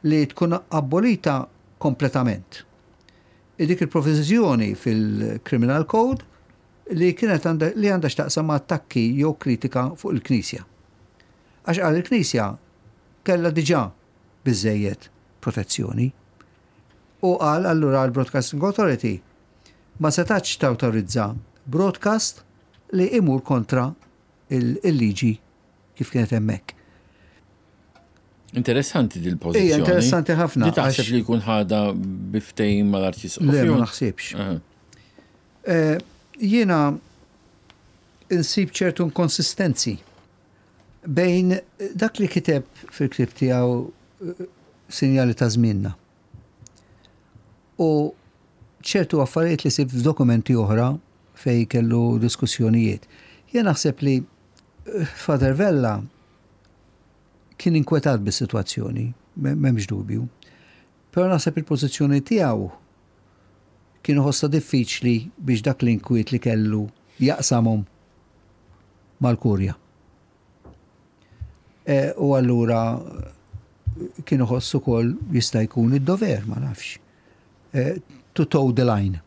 li tkun abolita kompletament. Dik il-provizjoni fil-Criminal Code li kienet li għandha x'taqsam ma' attakki jew kritika fuq il-Knisja. Għax qal il-Knisja kellha diġà biżżejjed protezzjoni. U qal allura l-Broadcasting Authority ma setatx tawtorizza broadcast li imur kontra il-liġi kif kienet hemmhekk. Interessanti dil pożizzjoni. Ija, interessanti ħafna. Di taħseb li jkun ħada bi ftehim mal-Arċisqof? Le, ma naħsibx. Eh, jiena insib ċertu inkonsistenzi bejn dak li kiteb fil-ktieb tiegħu eh, Sinjali ta' żmienna u ċertu affarijiet li sib f'dokumenti oħra fej kellu diskussjonijiet. Jien naħseb li eh, Father Vella kien inkwetat bis-sitwazzjoni, m'hemmx dubju. Però naħseb il-pożizzjoni tiegħu kien iħossha diffiċli biex dak l-inkwiet li kellu jaqsamhom mal-Kurja. E, u allura kien iħoss ukoll jista' jkun id-dover, ma nafx. E, to toe the line.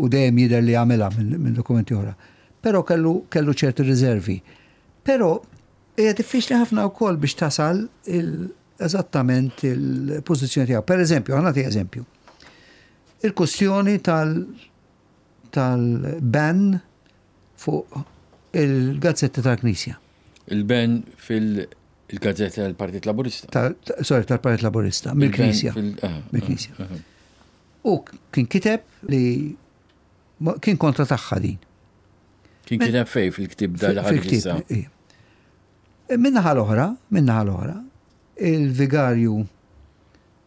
U dejjem jidher li għamilha minn dokumenti oħra. Però kellu kellu ċerti riservi. Però hija diffiċli ħafna wkoll biex tasal eżattament il-pożizzjoni tiegħu. Per eżempju, ħa nagħti eżempju. Il-kwestjoni tal tal-ban fuq il-gazzetti tal-Knisja. Il-ban fil-gazzetta tal-Partit Laburista. Sorry, tal-Partit Laburista, mill-Knisja. Mill-Knisja. U kien kiteb li kien kontra tagħha din. Kien kiteb fej fil-ktib dal-ħarġ. Minnaħa l-oħra, minnaħa l-oħra, il-vigarju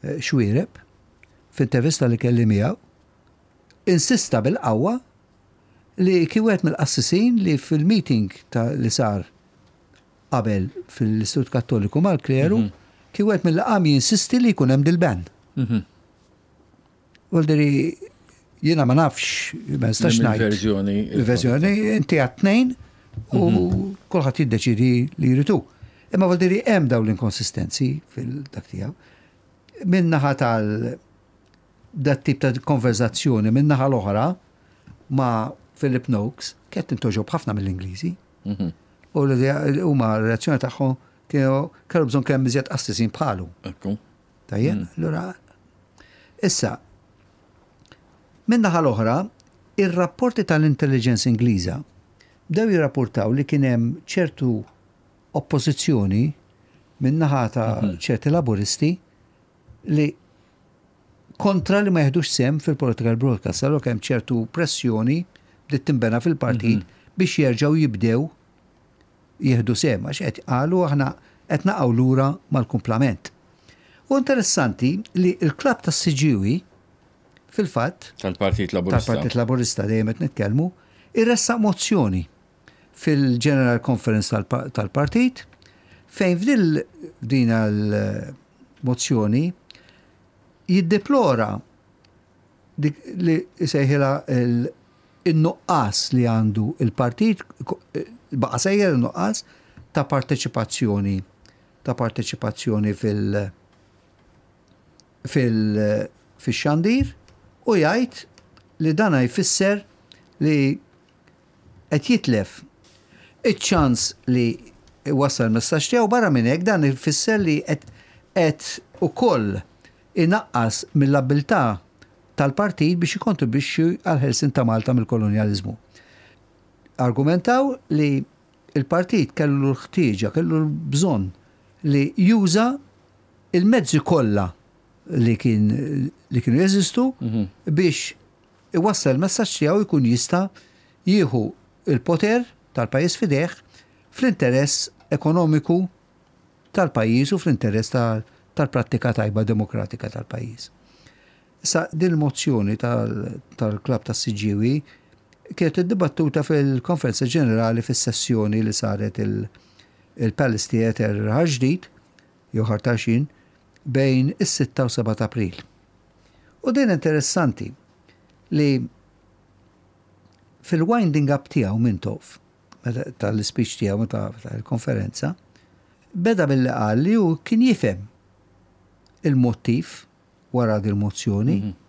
eh, Xwireb, f'intervista li kelli miegħu, insista bil-qawwa li kien wieħed mill-qassisin li fil-meeting ta' li sar qabel fil-Istitut Kattoliku mal-kleru, mhm. kien wieħed mill qam jinsisti li jkun hemm dil-ban. Mhm. Voldiri, jiena ma nafx, ma nistax ngħid. Il-verżjoni. Il-verżjoni, inti għat tnejn u mhm. kulħadd jiddeċidi li jritu. Imma voldiri hemm dawn l-inkonsistenzi fil-dak tiegħu. Min-naħa tal dat tip ta' konverzazzjoni min-naħa l-oħra ma' Philip Noakes kienet tintoġob ħafna mill-Ingliżi. Mhm. U huma r-reazzjoni tagħhom kienu kellu bżonn kemm iżjed qassisin bħalu. Tajjeb, mm. allura issa min-naħa l-oħra, ir-rapporti tal-intelligence Ingliża bdew jirrapportaw li kien hemm ċertu oppożizzjoni min-naħa ta' mhm. ċerti laburisti li kontra li ma jeħdux sehem fil-political broadcast. Allura kemm ċertu pressjoni bdiet tinbena fil-partit mhm. biex jerġgħu jibdew jieħdu sehem għax qed qalu aħna qed naqgħu lura mal-kumplament. U interessanti li l-klabb tas-Siġġiewi fil-fatt tal-Partit Laburista tal-Partit Laburista dejjem qed nitkellmu, irressaq mozzjoni fil-General Conference tal-partit fejn f'dil din l-mozzjoni jiddeplora dik li jsejħilha in-nuqqas li għandu il-partit, baqa' sejjer in-nuqqas ta' parteċipazzjoni ta' parteċipazzjoni fil- fil fix-xandir u jgħid li dana jfisser li qed jitlef iċ-ċans li jwassal il-messaġġ tiegħu barra minn hekk dan ifisser li qed qed ukoll inaqqas mill-abbiltà tal-partit biex jikkontribwixxi għall-ħelsien ta' Malta mill-kolonjaliżmu. Argumentaw li l-partit kellu l-ħtieġa, kellu l-bżonn li juża l-mezzi kollha li kien li kienu jeżistu mhm. biex iwassal il-messaġġ tiegħu jkun jista' jieħu l-poter tal-pajjiż f'idejh fl-interess ekonomiku tal-pajjiż u fl-interess tal-prattika tajba demokratika tal-pajjiż. Issa din il-mozzjoni tal-klabb tas-Siġġiewi kienet iddibattuta fil-Konferenza Ġenerali fis-sessjoni li saret il-Palace Theatre Raħal Ġdid jew Ħal Tarxien bejn is-6 u 7 ta' April. U din interessanti li fil-winding up tiegħu Mintoff, tal-ispeech tiegħu meta il-konferenza, beda billi qal li hu kien jifhem il-mottiv wara din mozzjoni mhm.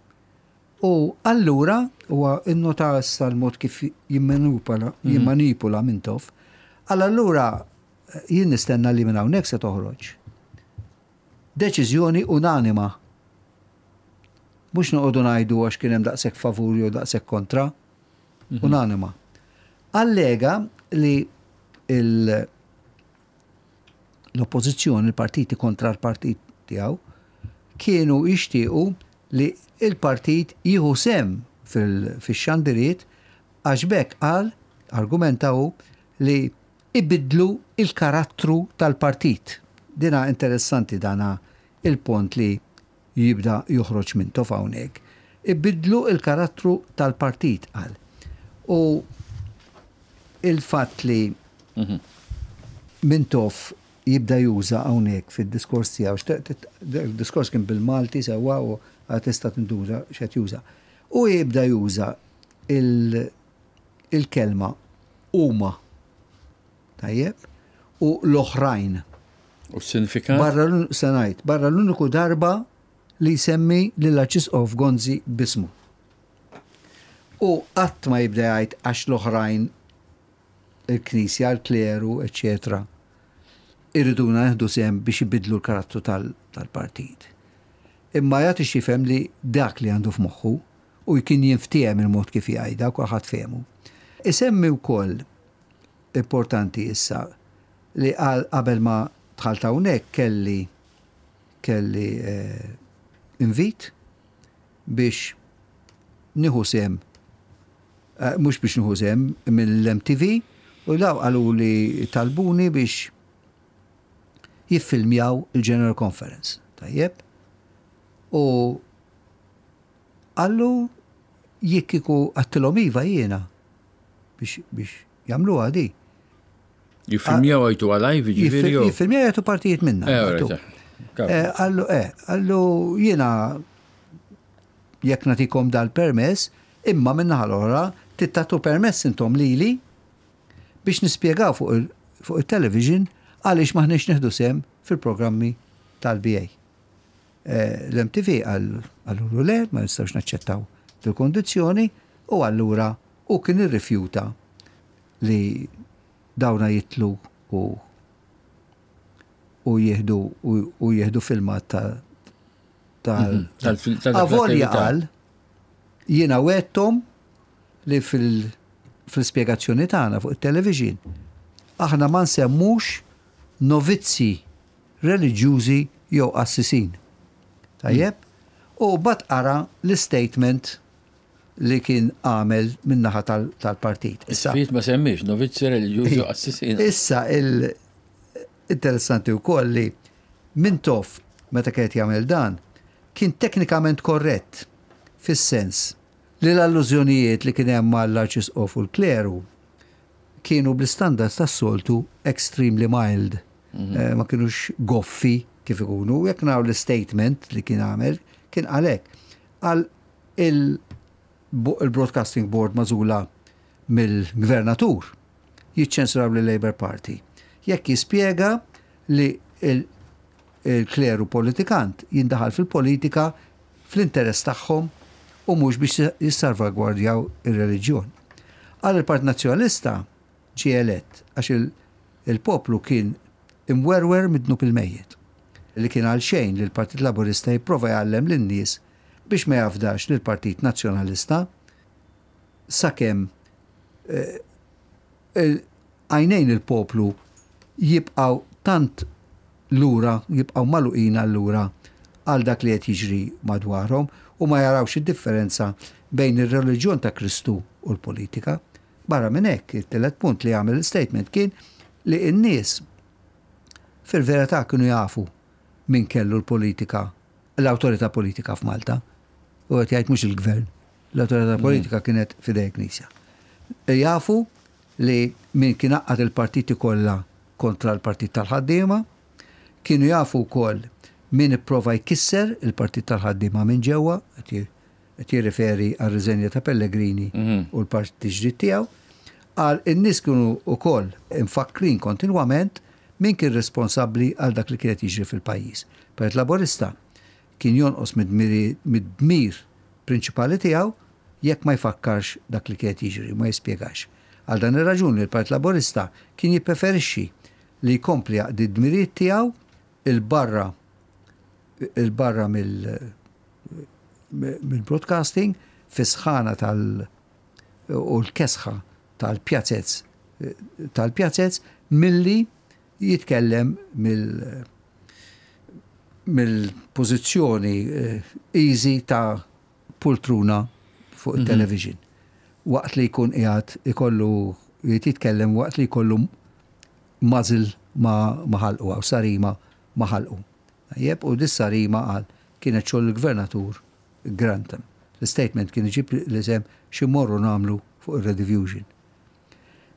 U allura huwa innota issa l-mod kif jimmanipula mhm. jimmanipula Mintoff. Għal allura jien nistenna li minn hawnhekk se toħroġ deċiżjoni unanima. Mhux noqogħdu ngħidu għax kien hemm daqshekk favur jew daqshekk kontra. Mhm. Unanima. Allega li l-oppożizzjoni, il-partiti kontra l-partit tiegħu, kienu jixtiequ li il-partit jieħu sem fil-xandiriet għax b'hekk qal, argumenta hu, li ibiddlu il-karattru tal-partit. Dina interessanti dana il-pont li jibda joħroġ Mintoff hawnhekk. Ibiddlu il-karattru tal-partit, qal. U il-fatt li Mintoff jibda juża hawnhekk fid-diskors tiegħu, il-diskors kien bil-Malti sewwa u għad tista' tinduża x'qed juża. U jibda juża il-kelma huma. Tajjeb? U l-oħrajn. U s-sinifikat? Barra, se ngħid, barra l-uniku darba li jsemmi lill-Arċisqof Gonzi b'ismu. U qatt ma jibda jgħid għax l-oħrajn il-Knisja, il-kleru, eċċetera, iriduna nieħdu sehem biex ibiddlu l-karattru tal-partit. Imma jagħti x'jifhem li dak li għandu f'moħħu u kien jinftiehem il-mod kif jgħidha u kulħadd fehmu. Isemmi wkoll importanti issa li qal qabel ma dħalt hawnhekk kelli kelli eh, invit biex nieħu sehem eh, mhux biex nieħu sehem mill-MTV u daw qalu li talbuni biex jiffilmjaw il-General Conference. Tajjeb? U qallu jekk kieku għattilhom iva jiena biex biex jagħmluha di. Jiffilmjaw għajtu għalajv, ġifieri. Jiffilmjaw jagħtu partijiet minna. Eh, eh, qallu eh, qallu jiena jekk nagħtikom dal-permess, imma min-naħa l-oħra tittatu permess intom lili biex nispjegaw fuq il-television għaliex m'aħniex nieħdu sehem fil-programmi tal-BA. Eh, L-MTV għallulu le, ma nistgħux naċċettaw dil-kondizzjoni u allura u kien irrifjuta li dawna jitlu u u jieħdu u jieħdu filmat ta' tal mhm, Avolja qal jiena wettom li fil-spjegazzjoni tagħna fuq it-television aħna ma nsemmux novizzi reliġjużi jew qassisin. Tajjeb? U bat qara l-istatement li kien għamel min-naħa tal-partit. Issa. Ftit ma semmiex novizzi reliġjużi u qassisin. Issa il-interessanti wkoll li Mintoff meta kien qed jagħmel dan kien teknikament korrett fis-sens li l-allużjonijiet li kien hemm mal-Arċisqof u l-kleru kienu bl-istandards tas-soltu extremely mild. Mhm. Eh, ma kienux goffi kif ikunu. Jekk naraw l-statement li kien għamel, kien għalek. Għal il-Broadcasting Board mażula mill-gvernatur jiċċensuraw li Labour Party. Jekk jispjega li il-kleru politikant jindaħal fil-politika fl-interess tagħhom u mhux biex jissalvagwardjaw ir-reliġjon. Qal il-Partit Nazzjonalista ġie elett għax il-poplu kien imwerwer mid-dnub il-mejjet. Li kien għalxejn li l-Partit Laburista jipprova jgħallem lin-nies biex ma jafdax lill-Partit Nazzjonalista sakemm eh, għajnejn il-poplu jibqgħu tant lura, jibqgħu magħluqin allura għal dak li qed jiġri madwarhom u ma jarawx id-differenza bejn ir-reliġjon ta' Kristu u l-politika. Barra minn hekk, it-tielet punt li għamel il-statement kien li n-nies fil-verità kienu jafu min kellu l-politika, l-awtorità politika f'Malta. U qed jgħid mhux il-gvern, l-awtorità mm. politika kienet f'idej il-Knisja. Jafu li min kien għaqqad il-partiti kollha kontra l-Partit tal-Ħaddiema, kienu jafu wkoll min ipprova jkisser il-Partit tal-Ħaddiema minn ġewwa, qed jirriferi għar-riżenja ta' Pellegrini mhm. u l-partit ġdid tiegħu, qal in-nies kienu wkoll imfakkrin kontinwament min kien responsabbli għal dak li kienet jiġri fil-pajjiż. Partit Laburista kien jonqos mid-dmir prinċipali tiegħu jekk ma jfakkarx dak li kien qed jiġri, ma jispjegax. Għal dan ir-raġuni l-Partit Laburista kien jippreferixxi li jkompli jaqdi d-dmirijiet tiegħu 'il barra 'il barra mill-broadcasting fis-sħana tal u l-kesħa tal-pjazez tal-pjazez milli jitkellem mill mill-pożizzjoni eh, easy ta' pultruna fuq mhm. il-television. Waqt li jkun qiegħed ikollu jitkellem waqt li jkollu muzzle ma' ħalqu għaw sarima ma' ħalqu. Jeb, u dis-sarima qal kienet xogħol il-gvernatur Grantham. L-statement kien iġib l-isem xi morru nagħmlu fuq ir-Rediffusion.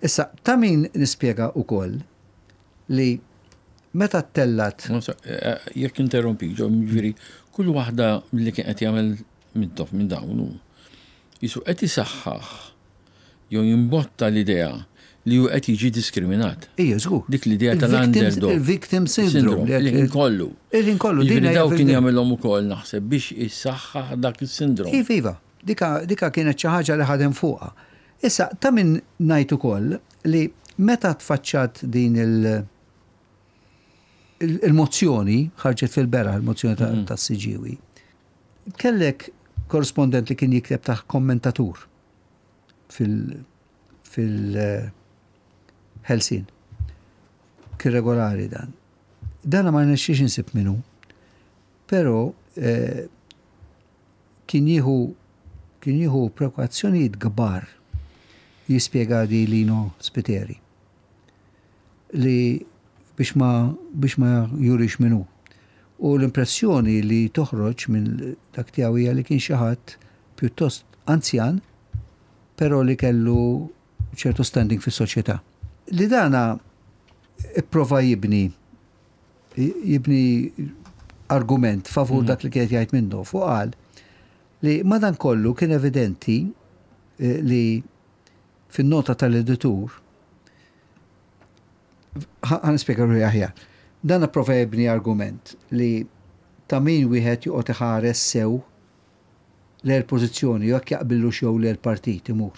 Issa, ta' min nispjega wkoll li meta ttellat. Eh, eh, jekk interrompik, ġo, ġifieri, kull waħda li kien qed jagħmel Mintoff minn dawn hu jisu qed isaħħaħ jew jimbotta l-idea li hu qed jiġi diskriminat. Ija, żgur. Dik l-idea tal-underdog. Il-victim syndrome. Il-ħin kollu. Il-ħin kollu. Jiġifieri daw kien jagħmilhom ukoll naħseb biex issaħħaħ dak is-sindrom. Iva, iva. Dika, dika kienet xi ħaġa li ħadem fuqha. Issa, ta' min ngħid ukoll li meta tfaċċat din il- il-mozzjoni, ħarġet fil-beraħ il-mozzjoni tas-Siġġiewi, kellek korrispondent li kien jikteb taħt kommentatur fil- fil-Ħelsien. Kien regolari dan. Dana ma rnexxiex insib minnu, però kien jieħu kien jieħu prekwazzjonijiet kbar jispjega di Lino Spiteri li biex ma biex ma jurix min hu. U l-impressjoni li toħroġ minn dak tiegħu hija li kien xi ħadd pjuttost anzjan però li kellu ċertu standing fis-soċjetà. Li dana ipprova jibni jibni argument favur dak li kienet jgħid Mintoff u qal li madankollu kien evidenti li fin-nota tal-editur ħa nispjega ruħi aħjar. Dan ipprova jibni argument li ta' min wieħed joqgħod iħares sew lejn il-pożizzjoni jew jekk jaqbillux jew le l-partit imur.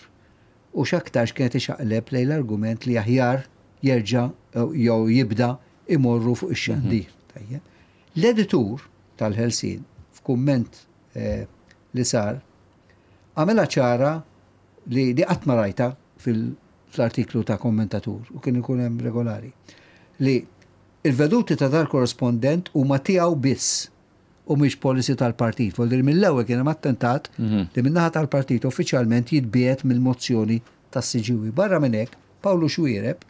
U x'aktarx kienet ixaqleb lejn l-argument li aħjar jerġa' jew jibda imorru fuq ix-xandir. Tajjeb. L-editur tal-Ħelsien f'kumment li sar għamilha ċara li di qatt ma rajtha fl-artiklu ta' kommentatur u kien ikun hemm regolari li il-veduti ta' dal-korrispondent huma tiegħu biss u mhix policy tal-partit. Vuol dire mill-ewwel kien hemm attentat li min-naħa tal-partit uffiċjalment jitbiegħed mill-mozzjoni tas-Siġġiewi. Barra minn hekk, Pawlu Xuereb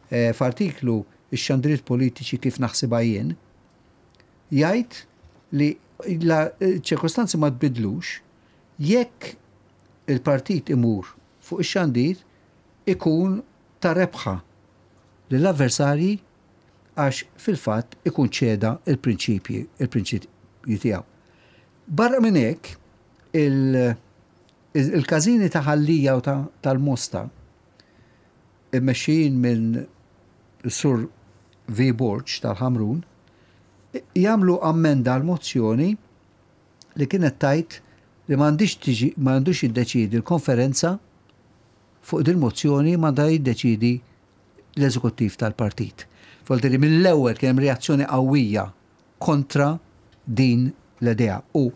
f'artiklu Ix-xandriet politiċi kif naħsibha jien jgħid li la ċ-ċirkostanzi ma tbiddlux jekk il-partit imur fuq ix-xandir ikun ta' rebħa lill-avversarji għax fil-fatt ikun ċeda l-prinċipji il-prinċipji tiegħu. Barra minn hekk, il-każini ta' Ħal Lija u tal-Mosta immexxijin minn Sur V. Borg tal-Ħamrun jagħmlu ammenda għall-mozzjoni li kienet tgħid li m'għandhiex tiġi m'għandux jiddeċiedi l-konferenza fuq dil-mozzjoni m'għandha jiddeċiedi l-eżekuttiv tal-partit. Vuol dire mill-ewwel kien hemm reazzjoni qawwija kontra din l-idea u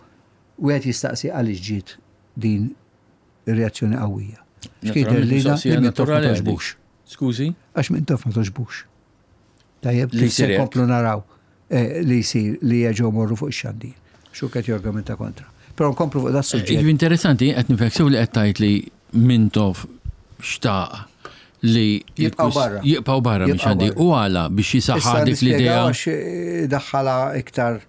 wieħed jistaqsi għaliex ġiet din ir-reazzjoni qawwija. X'kien li Mintoff ma toġbux. Skużi? Għax Mintoff ma toġbux. Tajjeb, li se nkomplu naraw eh, li jsir li jerġgħu morru fuq ix-xandir. Xu qed jorgumenta kontra. Però nkomplu fuq da suġġett. Eh, interessanti, qed nifhek sew li qed tgħid li Mintoff xtaq li jibqgħu barra. Jibqgħu barra minn xandir. U għala biex jisaħħa dik l-idea. Għax eh, daħħala iktar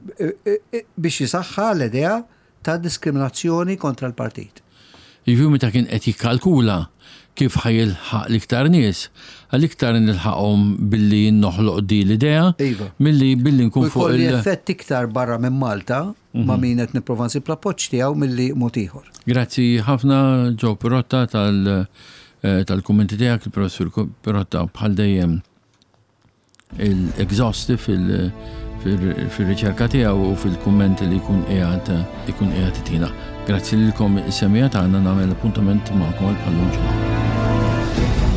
biex jisaħħa l-idea ta' diskriminazzjoni kontra l-partit. Jiġifieri meta kien qed jikkalkula kif ħa jilħaq l-iktar nies, għal iktar nilħaqhom billi noħloq di l-idea iva. milli billi nkun fuq il. effett iktar barra minn Malta ma' mhm. min qed nipprova nsib l-appoġġ tiegħu milli mod ieħor. Grazzi ħafna Joe Pirotta tal- eh, tal-kummenti tiegħek, il-professur Pirotta bħal dejjem il-exhaustive fil-riċerka tiegħu u fil-kummenti li jkun qiegħed ikun qiegħed itina. Grazzi lilkom is-semija tagħna nagħmel appuntament magħkom għal bħallum ġimgħa.